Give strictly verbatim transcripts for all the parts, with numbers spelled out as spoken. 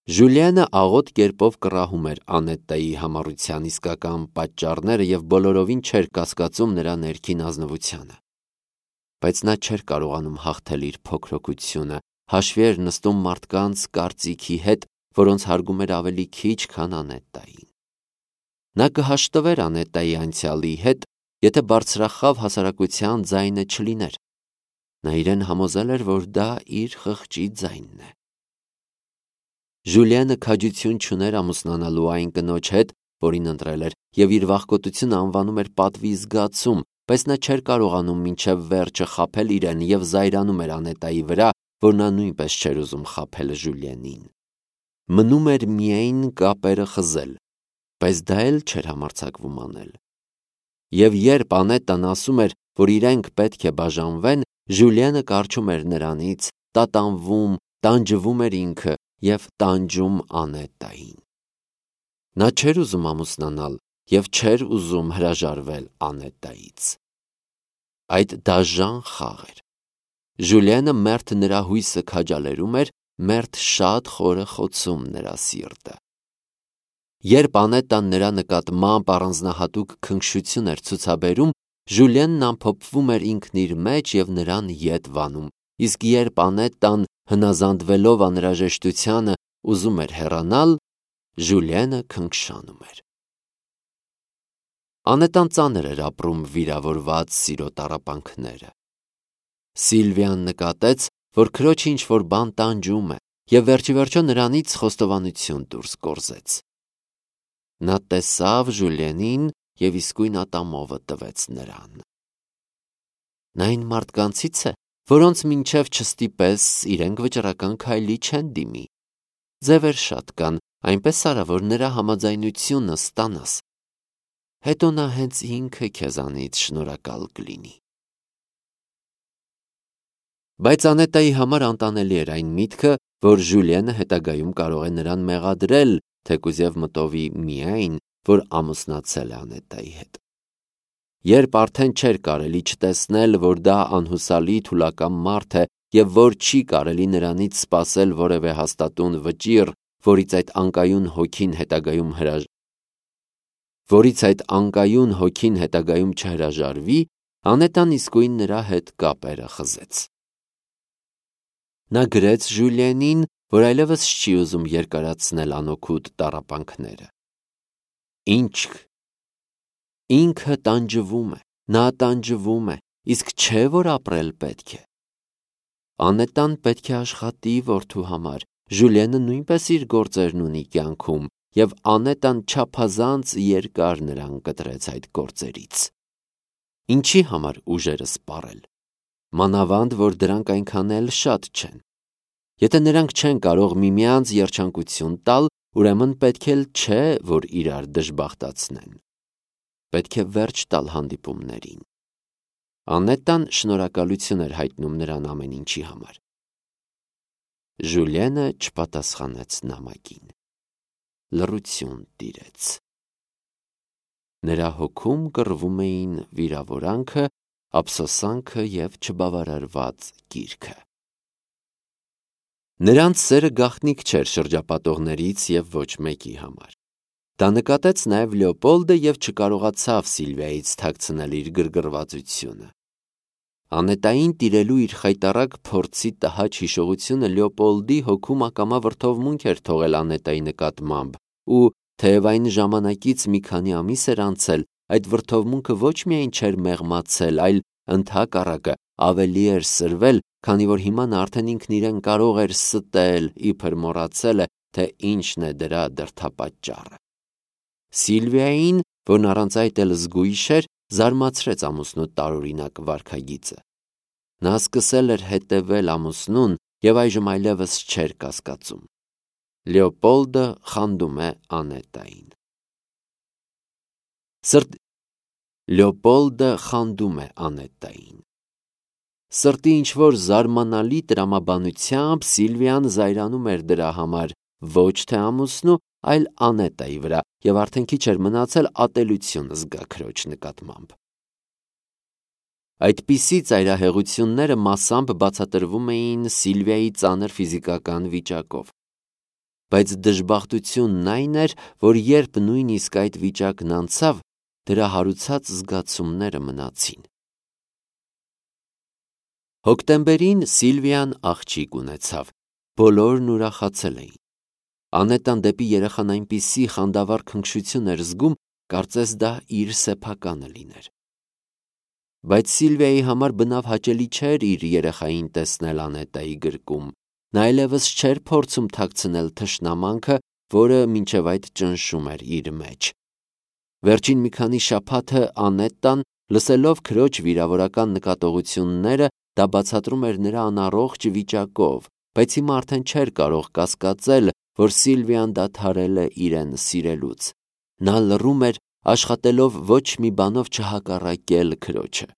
Ժուլիանը աղոտ կերպով կռահում էր Անետտայի համառության իսկական պատճառները և բոլորովին չէր կասկածում նրա ներքին ազնվությանը։ Բայց նա չէր կարողանում հաղթել իր փոքրοκությունը, հաշվի էր նստում մարդկանց կարծիքի հետ, որոնց հարգում էր ավելի քիչ, քան Անետտային։ Նա կհաշտվեր Անետտայի անցյալի հետ, եթե բարձրախավ հասարակության ձայնը չլիներ։ Նա իրեն համոզել էր, որ դա իր խղճի ձայնն է։ Ժուլիանը քաջություն չուներ ամուսնանալու այն կնոջ հետ, որին ընտրել էր, և իր վախկոտությունը անվանում էր պատվի զգացում, բայց նա չէր կարողանում մինչև վերջը խաբել իրեն և զայրանում էր Անետտայի վրա, որ նա նույնպես չէր ուզում խաբել Ժուլիենին։ Մնում էր միայն կապերը խզել, բայց դա էլ չէր համարձակվում անել։ Եվ երբ Անետտան ասում էր, որ իրենք պետք է բաժանվեն, Ժուլիանը կառչում էր նրանից, տատանվում, տանջվում էր ինքը և տանջում Անետտային։ Նա չէր ուզում ամուսնանալ և չէր ուզում հրաժարվել Անետտայից։ Այդ դաժան խաղ էր։ Ժուլիանը մերթ նրա հույսը քաջալերում էր, մերթ շատ խորը խոցում նրա սիրտը։ Երբ Անետտան նրա նկատմամբ առանձնահատուկ քնքշություն էր ցուցաբերում, Ժուլիենն ամփոփվում էր ինքն իր մեջ և նրան ետ վանում, իսկ երբ Անետտան, հնազանդվելով անհրաժեշտությանը, ուզում էր հեռանալ, Ժուլիենը քնքշանում էր։ Անետտան ծանր էր ապրում վիրավորված սիրո տառապանքները։ Սիլվիան նկատեց, որ քրոջը ինչ-որ բան տանջում է, և վերջիվերջո նրանից խոստովանություն դուրս գործեց։ Նա տեսավ Ժուլիենին և իսկույն ատամովը տվեց նրան։ Նա այն մարդկանցից է, որոնց մինչև չստիպես, իրենք վճռական քայլի չեն դիմի։ Ձևեր շատ կան, այնպես արա, որ նրա համաձայնությունը ստանաս։ Հետո նա հենց ինքը քեզանից շնորհակալ կլինի։ Բայց Անետտայի համար անտանելի էր այն միտքը, որ Ժուլիենը հետագայում կարող է նրան մեղադրել, թեկուզ և մտովի միայն, որ ամուսնացել է Անետտայի հետ։ Երբ արդեն չէր կարելի չտեսնել, որ դա անհուսալի թուլակամ մարդ է և որ չի կարելի նրանից սպասել որևէ հաստատուն վճիռ, որից այդ անկայուն հոգին հետագայում հրաժ... որից այդ անկայուն հոգին հետագայում չհրաժարվի, Անետտան իսկույն նրա հետ կապերը խզեց։ Նա գրեց Ժուլիենին, որ այլևս չի ուզում երկարացնել անօգուտ տառապանքները։ Ինչ ինքը տանջվում է, նա տանջվում է, իսկ չէ, որ ապրել պետք է։ Անետտան պետք է աշխատի որդու համար, Ժուլիենը նույնպես իր գործերն ունի կյանքում, և Անետտան չափազանց երկար նրան կտրեց այդ գործերից։ Ինչի համար ուժերը սպառել։ Մանավանդ, որ դրանք այնքան էլ շատ չեն։ Եթե նրանք չեն կարող միմյանց երջանկություն տալ, ուրեմն պետք էլ չէ, որ իրար դժբախտացնեն։ Պետք է վերջ տալ հանդիպումներին։ Անետտան շնորհակալություն էր հայտնում նրան ամեն ինչի համար։ Ժուլիենը չպատասխանեց նամակին։ Լռություն տիրեց։ Նրա հոգում կռվում էին վիրավորանքը, ափսոսանքը և չբավարարված կիրքը։ Նրանց սերը գաղտնիք չէր շրջապատողներից և ոչ մեկի համար։ Դա նկատեց նաև Լեոպոլդը և չկարողացավ Սիլվիայից թաքցնել իր գրգռվածությունը։ Անետտային տիրելու իր խայտառակ փորձի տհաճ հիշողությունը Լեոպոլդի հոգում ակամա վրդովմունք էր թողել Անետտայի նկատմամբ, ու թեև այն ժամանակից մի քանի ամիս էր անցել, այդ վրդովմունքը ոչ միայն չէր մեղմացել, այլ ընդհակառակը ավելի էր սրվել, քանի որ հիմա նա արդեն ինքն իրեն կարող էր ստել, իբր մոռացել է, թե ինչն է դրա դրդապատճառը։ Սիլվիային, որն առանց այդ էլ զգույշ էր, զարմացրեց ամուսնու տարօրինակ վարքագիծը։ Նա սկսել էր հետևել ամուսնուն և այժմ այլևս չէր կասկածում։ Լեոպոլդը խանդում է Անետտային։ Սրտ... Լեոպոլդը խանդում է Անետտային։ Սրտի ինչ-որ զարմանալի տրամաբանությամբ Սիլվիան զայրանում էր դրա համար ոչ թե ամուսնու, այլ Անետտայի վրա և արդեն քիչ էր մնացել ատելություն զգա քրոջ նկատմամբ։ Այդպիսի ծայրահեղությունները մասամբ բացատրվում էին Սիլվիայի ծանր ֆիզիկական վիճակով։ բայց դժբախտությունն այն էր, որ երբ նույնիսկ այդ վիճակն անցավ, դրա հարուցած զգացումները մնացին։ Հոկտեմբերին Սիլվիան աղջիկ ունեցավ, բոլորն ուրախացել էին։ Անետան դեպի երեխան այնպիսի խանդավառ քնքշություն էր զգում, կարծես դա իր սեփականը լիներ։ Բայց Սիլվիայի համար բնավ հաճելի չէր իր երեխային տեսնել Անետայի գրկում, նա այլևս չէր փորձում թաքցնել թշնամանքը, որը մինչև այդ ճնշում էր իր մեջ։ Վերջին մի քանի շաբաթը Անետան, լսելով քրոջ վիրավորական նկատողությունները, դա բացատրում էր նրա անառողջ վիճակով, բայց հիմա արդեն չէր կարող կասկածել, որ Սիլվիան դադարել է իրեն սիրելուց։ Նա լռում էր, աշխատելով ոչ մի բանով չհակառակել քրոջը։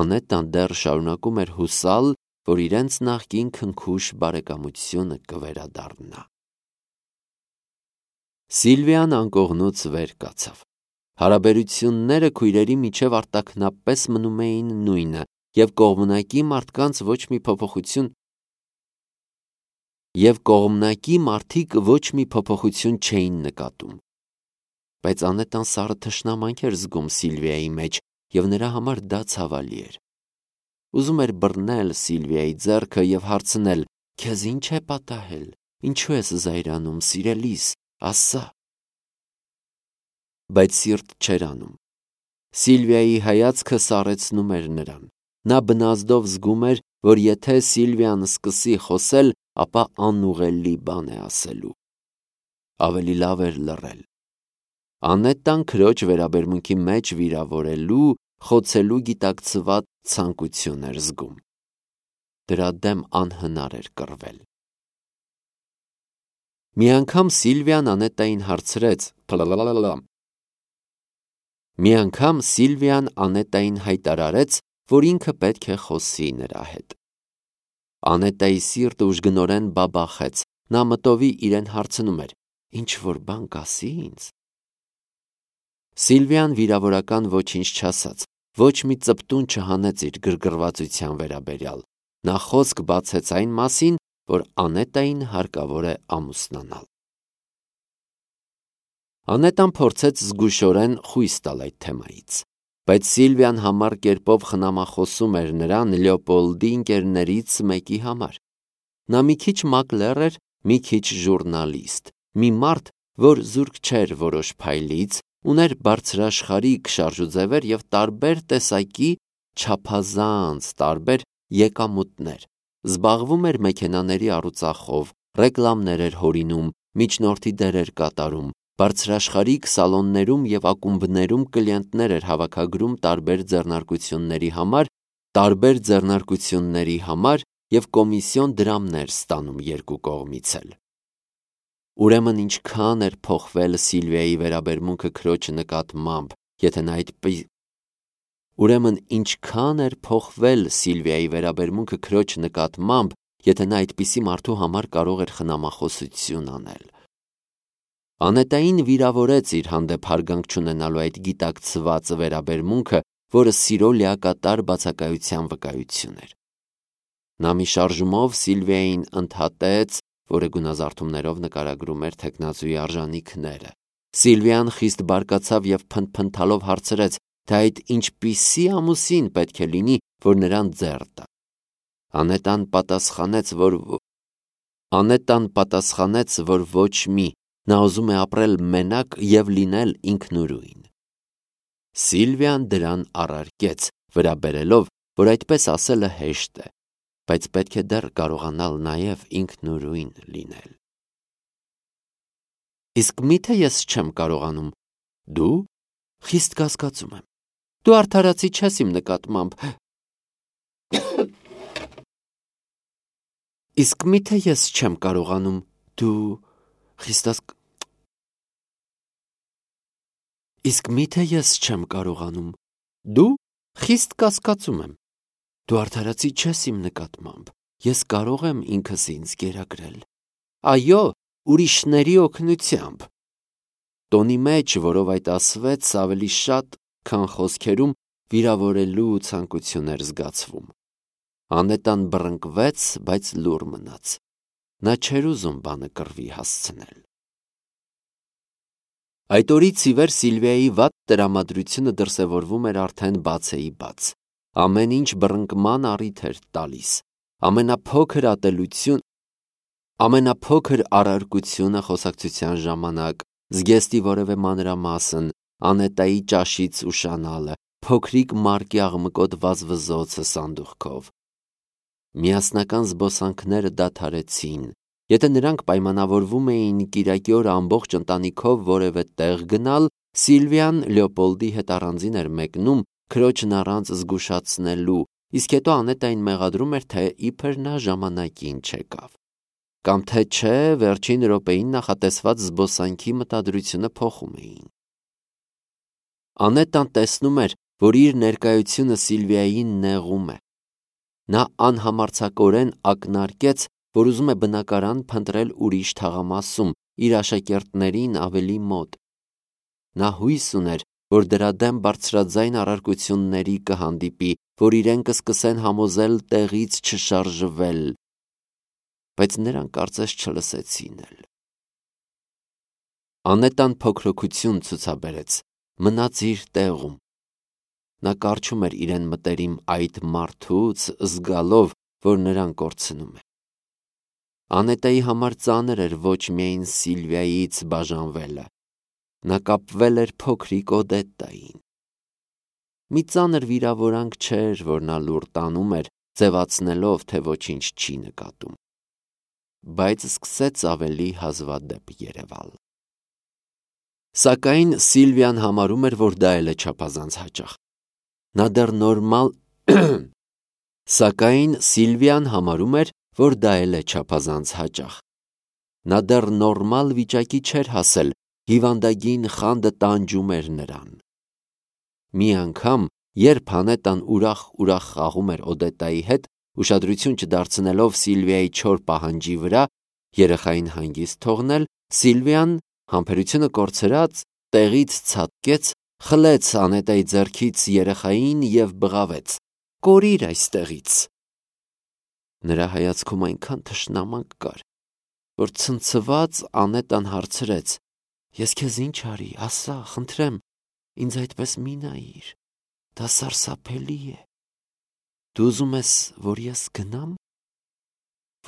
Անետան դեռ շարունակում էր հուսալ, որ իրենց նախկին քնքուշ բարեկամությունը կվերադառնա։ Սիլվիան անկողնուց վեր կացավ։ Հարաբերությունները քույրերի միջև արտաքնապես մնում էին նույնը, և կողմնակի մարդկանց ոչ մի փոփոխություն և կողմնակի մարդիկ ոչ մի փոփոխություն չէին նկատում։ Բայց Անետան սառը թշնամանք էր զգում Սիլվիայի մեջ, և նրա համար դա ցավալի էր։ Ուզում էր բռնել Սիլվիայի ձեռքը և հարցնել. «Քեզ ի՞նչ է պատահել, ինչու ես զայրանում, սիրելիս, ասա»։ Բայց սիրտ չէր անում։ Սիլվիայի հայացքը սառեցնում էր նրան։ Նա բնազդով զգում էր, որ եթե Սիլվիան սկսի խոսել, ապա անուղղելի բան է ասելու։ Ավելի լավ էր լռել։ Անետան քրոջ վերաբերմունքի մեջ վիրավորելու, խոցելու գիտակցված ցանկություն էր զգում։ Դրա դեմ անհնար էր կռվել։ Մի անգամ Սիլվիան Անետային հարցրեց. Մի անգամ Սիլվիան Անետային հայտարարեց, որ ինքը պետք է խոսի նրա հետ։ Անետայի սիրտը ուժգնորեն բաբախեց, նա մտովի իրեն հարցնում էր. «Ինչ-որ բան կասի ինձ»։ Սիլվիան վիրավորական ոչինչ չասաց, ոչ մի ծպտուն չհանեց իր գրգռվածության վերաբերյալ։ Նա խոսք բացեց այն մասին, որ Անետային հարկավոր է ամուսնանալ։ Անետան փորձեց զգուշորեն խույս տալ այդ թեմայից, բայց Սիլվիան համառ կերպով խնամախոսում էր նրան Լեոպոլդի ընկերներից մեկի համար։ Նա մի քիչ մակլեր էր, մի քիչ ժուռնալիստ, մի մարդ, որ զուրկ չէր որոշ փայլից, ուներ բարձրաշխարհիկ շարժուձևեր և տարբեր տեսակի չափազանց տարբեր եկամուտներ, զբաղվում էր մեքենաների առուծախով, ռեկլամներ էր հորինում, միջնորդի դերեր կատարում, բարձրաշխարհիկ սալոններում և ակումբներում կլիենտներ էր հավաքագրում տարբեր ձեռնարկությունների համար, տարբեր ձեռնարկությունների համար և կոմիսիոն դրամներ ստանում երկու կողմից էլ։ Ուրեմն ինչքան էր փոխվել Սիլվիայի վերաբերմունքը քրոջ նկատմամբ, եթե նա այդպես Ուրեմն ինչքան էր փոխվել Սիլվիայի վերաբերմունքը քրոջ նկատմամբ, եթե նա այդպիսի մարդու համար կարող էր խնամախոսություն անել։ Անետային վիրավորեց իր հանդեպ հարգանք չունենալու այդ գիտակցված վերաբերմունքը, որը սիրո լիակատար բացակայության վկայություն էր։ Նա մի շարժումով Սիլվիային ընդհատեց, որը գունազարդումներով նկարագրում էր թեկնածուի արժանիքները։ Սիլվիան խիստ բարկացավ և փնթփնթալով հարցրեց, թե այդ ինչպիսի ամուսին պետք է լինի, որ նրան ձեռ տա։ Անետան պատասխանեց, որ Անետան պատասխանեց, որ ոչ մի, նա ուզում է ապրել մենակ և լինել ինքնուրույն։ Սիլվիան դրան առարկեց, վրա բերելով, որ այդպես ասելը հեշտ է, բայց պետք է դեռ կարողանալ նաև ինքնուրույն լինել։ Իսկ միթե ես չեմ կարողանում։ Դու խիստ կասկածում եմ։ Դու արդարացի չես իմ նկատմամբ։ Իսկ միթե ես չեմ կարողանում։ Դու խիստ Իսկ միթե ես չեմ կարողանում։ Դու խիստ կասկածում եմ։ Դու արդարացի չես իմ նկատմամբ։ Ես կարող եմ ինքս ինձ գերակրել։ Այո, ուրիշների օգնությամբ։ Տոնի մեջ, որով այդ ասվեց, ավելի շատ, քան խոսքերում, վիրավորելու ցանկություն էր զգացվում։ Անետան բռնկվեց, բայց լուռ մնաց։ Նա չէր ուզում բանը կռվի հասցնել։ Այդ օրից ի վեր Սիլվիայի վատ տրամադրությունը դրսևորվում էր արդեն բացեի բաց։ Ամեն ինչ բռնկման առիթ էր տալիս։ Ամենափոքր ատելություն, ամենափոքր առարկությունը խոսակցության ժամանակ, զգեստի որևէ մանրամասն, Անետայի ճաշից ուշանալը, փոքրիկ մարկի աղմկոտ վզվզոցը սանդուղքով։ Միասնական զբոսանքները դադարեցին։ Եթե նրանք պայմանավորվում էին կիրակի օր ամբողջ ընտանիքով որևէ տեղ գնալ, Սիլվիան Լեոպոլդի հետ առանձին էր մեկնում քրոջն առանց զգուշացնելու, իսկ հետո Անետային մեղադրում էր, թե իբր նա ժամանակին չեկավ։ Կամ թե չէ, վերջին րոպեին նախատեսված զբոսանքի մտադրությունը փոխում էին։ Անետան տեսնում էր, որ իր ներկայությունը Սիլվիային նեղում է։ Նա անհամարձակորեն ակնարկեց, որ ուզում է բնակարան փնտրել ուրիշ թաղամասում, իր աշակերտներին ավելի մոտ։ Նա հույս ուներ, որ դրա դեմ բարձրաձայն առարկությունների կհանդիպի, որ իրեն կսկսեն համոզել տեղից չշարժվել, բայց նրանք կարծես չլսեցին էլ։ Անետան փոքրοκություն ցուցաբերեց, մնաց իր տեղում։ Նա կարճում էր իրեն մտերիմ այդ մարդուց, զգալով, որ նրան կորցնում է։ Անետայի համար ծանր էր ոչ միայն Սիլվիայից բաժանվելը, նա կապվել էր փոքրիկ Օդետային։ Մի ծանր վիրավորանք չէր, որ նա լուր տանում էր, ձևացնելով, թե ոչինչ չի նկատում, բայց սկսեց ավելի հազվադեպ երևալ։ Սակայն Սիլվիան համարում էր, որ դա էլ է չափազանց հաճախ։ Նա դեռ նորմալ Սակայն Սիլվիան համարում էր, որ դա էլ է չափազանց հաճախ։ Նա դեռ նորմալ վիճակի չէր հասել, հիվանդագին խանդը տանջում էր նրան։ Մի անգամ, երբ Անետան ուրախ-ուրախ խաղում էր Օդետայի հետ, ուշադրություն չդարձնելով Սիլվիայի չոր պահանջի վրա, երեխային հանգիստ թողնել, Սիլվիան, համբերությունը կորցրած, տեղից ցատկեց, խլեց Անետայի ձեռքից երեխային և բղավեց. «Կորիր այստեղից»։ Նրա հայացքում այնքան թշնամանք կար, որ ցնցված Անետան հարցրեց. «Ես քեզ ինչ արի, ասա, խնդրեմ, ինձ այդպես մի նայիր, դա սարսափելի է։ Դու ուզում ես, որ ես գնամ,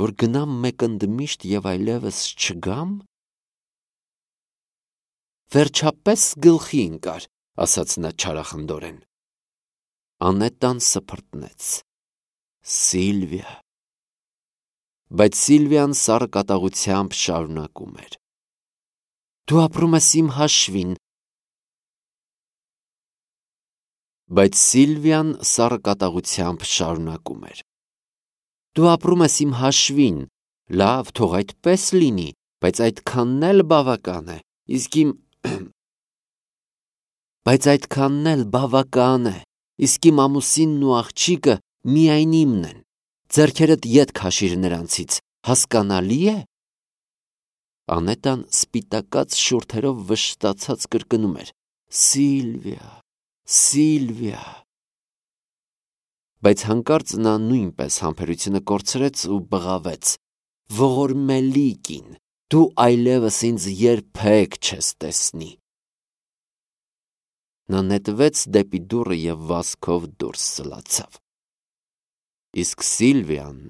որ գնամ մեկ ընդմիշտ և այլևս չգամ»։ «Վերջապես գլխի ընկար», ասաց նա չարախնդորեն։ Անետան սփռտնեց. «Սիլվիա»։ Բայց Սիլվիան սառը կատաղությամբ շարունակում էր. «Դու ապրում ես իմ հաշվին»։ Բայց Սիլվիան սառը կատաղությամբ շարունակում էր. «Դու ապրում ես իմ հաշվին, լավ, թող այդպես լինի, բայց այդքանն էլ բավական է, իսկ իմ Բայց այդքանն էլ բավական է, իսկ իմ ամուսինն ու աղջիկը միայն իմն են, ձեռքերդ ետ քաշիր նրանցից, հասկանալի է»։ Անետան սպիտակած շուրթերով վշտացած կրկնում էր. «Սիլվիա, Սիլվիա»։ Բայց հանկարծ նա նույնպես համբերությունը կորցրեց ու բղավեց. «Ողորմելի կին, դու այլևս ինձ երբեք չես տեսնի»։ Նա նետվեց դեպի դուռը և վազքով դուրս սլացավ։ Իսկ Սիլվիան,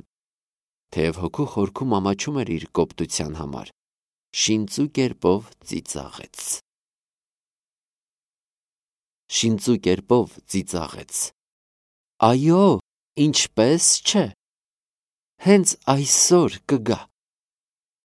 թեև հոգու խորքում ամաչում էր իր կոպտության համար, շինծու կերպով ծիծաղեց։ Շինծու կերպով ծիծաղեց. «Այո, ինչպես չէ, հենց այսօր կգա»։